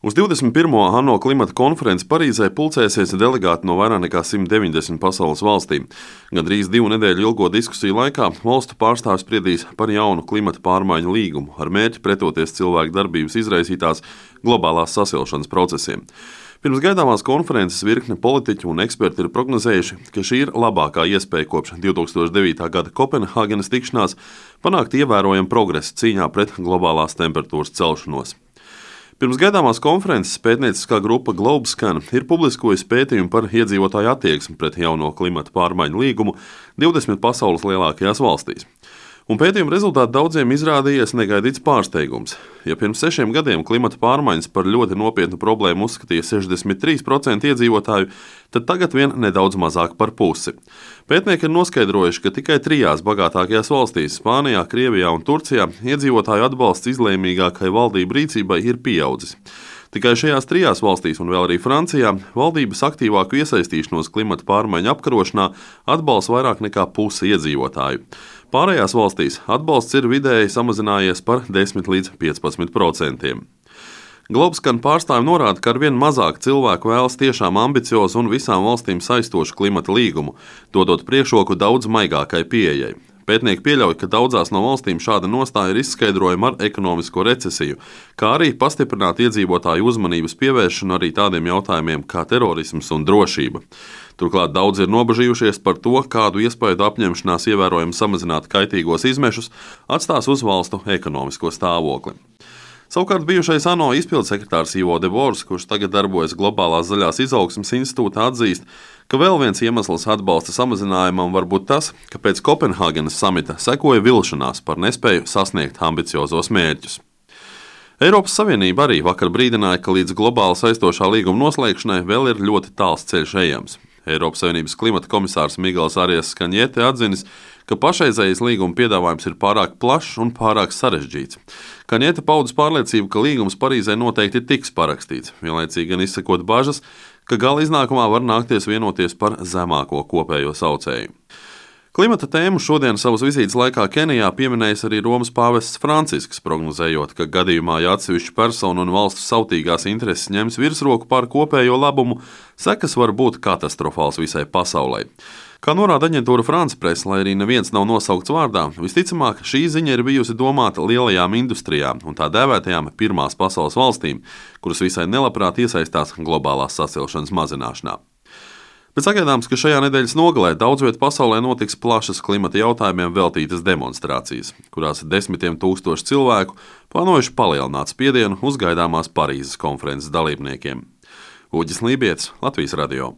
Uz 21. ANO klimata konferenci Parīzē pulcēsies delegāti no vairāk nekā 190 pasaules valstīm. Gandrīz 2 nedēļu ilgo diskusiju laikā valstu pārstāvji spriedīs par jaunu klimata pārmaiņu līgumu ar mērķi pretoties cilvēku darbības izraisītās globālās sasilšanas procesiem. Pirms gaidāmās konferences virkne politiķu un eksperti ir prognozējuši, ka šī ir labākā iespēja kopš 2009. gada Kopenhāgenas tikšanās panākt ievērojamu progresu cīņā pret globālās temperatūras celšanos. Pirms gaidāmās konferences pētnieciskā grupa Globescan ir publiskojusi pētījumu par iedzīvotāju attieksmi pret jauno klimata pārmaiņu līgumu 20 pasaules lielākajās valstīs. Un pētījuma rezultāti daudziem izrādījies negaidīts pārsteigums. Ja pirms 6 gadiem klimata pārmaiņas par ļoti nopietnu problēmu uzskatīja 63% iedzīvotāju, tad tagad vien nedaudz mazāk par pusi. Pētnieki ir noskaidrojuši, ka tikai 3 bagātākajās valstīs – Spānijā, Krievijā un Turcijā – iedzīvotāju atbalsts izlēmīgākai valdību rīcībai ir pieaudzis. Tikai šajās 3 valstīs un vēl arī Francijā valdības aktīvāku iesaistīšanos klimata pārmaiņu apkarošanā atbalsta vairāk nekā pusi iedzīvotāju. Pārējās valstīs atbalsts ir vidēji samazinājies par 10 līdz 15%. Globescan pārstāvji norāda, ka arvien mazāk cilvēku vēlas tiešām ambiciozu un visām valstīm saistošu klimata līgumu, dodot priekšroku daudz maigākai pieejai. Pētnieki pieļauj, ka daudzās no valstīm šāda nostāja ir izskaidrojama ar ekonomisko recesiju, kā arī pastiprināt iedzīvotāju uzmanības pievēršanu arī tādiem jautājumiem kā terorisms un drošība. Turklāt daudzi ir nobažījušies par to, kādu iespaidu apņemšanās ievērojami samazināt kaitīgos izmešus atstās uz valstu ekonomisko stāvokli. Savukārt bijušais ANO izpildsekretārs Ivo Debors, kurš tagad darbojas Globālās zaļās izaugsmes institūtā, atzīst, ka vēl viens iemesls atbalsta samazinājumam var būt tas, ka pēc Kopenhāgenas samita sekoja vilšanās par nespēju sasniegt ambiciozos mērķus. Eiropas Savienība arī vakar brīdināja, ka līdz globāli saistošā līguma noslēgšanai vēl ir ļoti tāls ceļš ejams. Eiropas Savienības klimata komisārs Miguels Arias Kaņete atzinis, ka pašreizējais līguma piedāvājums ir pārāk plašs un pārāk sarežģīts. Kaņete paudis pārliecību, ka līgums Parīzē noteikti tiks parakstīts, vienlaicīgi gan izsakot bažas, ka gala iznākumā var nākties vienoties par zemāko kopējo saucēju. Klimata tēmu šodien savas vizītes laikā Kenijā pieminējis arī Romas pāvests Francisks, prognozējot, ka gadījumā, ja atsevišķu personu un valstu sautīgās intereses ņems virsroku pār kopējo labumu, sekas var būt katastrofāls visai pasaulē. Kā norāda aģentūra France Press, lai arī neviens nav nosaukts vārdā, visticamāk šī ziņa ir bijusi domāta lielajām industrijām un tā dēvētajām pirmās pasaules valstīm, kuras visai nelabprāt iesaistās globālās sasilšanas mazināšanā. Bet sagaidāms, ka šajā nedēļas nogalē daudz viet pasaulē notiks plašas klimata jautājumiem veltītas demonstrācijas, kurās desmitiem tūkstoši cilvēku plānojuši palielināt spiedienu uz gaidāmās Parīzes konferences dalībniekiem. Uģis Lībietis, Latvijas radio.